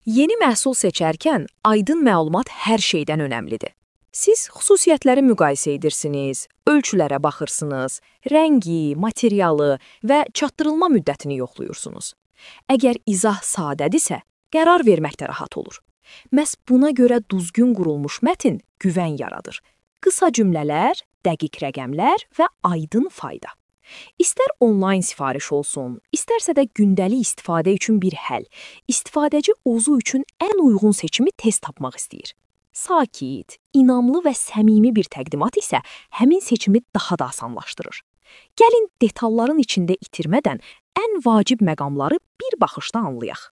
Yeni məhsul seçərkən aydın məlumat hər şeydən önəmlidir. Siz xüsusiyyətləri müqayisə edirsiniz, ölçülərə baxırsınız, rəngi, materialı və çatdırılma müddətini yoxluyursunuz. Əgər izah sadədirsə, qərar vermək də rahat olur. Məhz buna görə düzgün qurulmuş mətn güvən yaradır. Qısa cümlələr, dəqiq rəqəmlər və aydın fayda. İstər onlayn sifariş olsun, istərsə də gündəlik istifadə üçün bir həll, istifadəci ozu üçün ən uyğun seçimi tez tapmaq istəyir. Sakit, inamlı və səmimi bir təqdimat isə həmin seçimi daha da asanlaşdırır. Gəlin detalların içində itirmədən ən vacib məqamları bir baxışda anlayaq.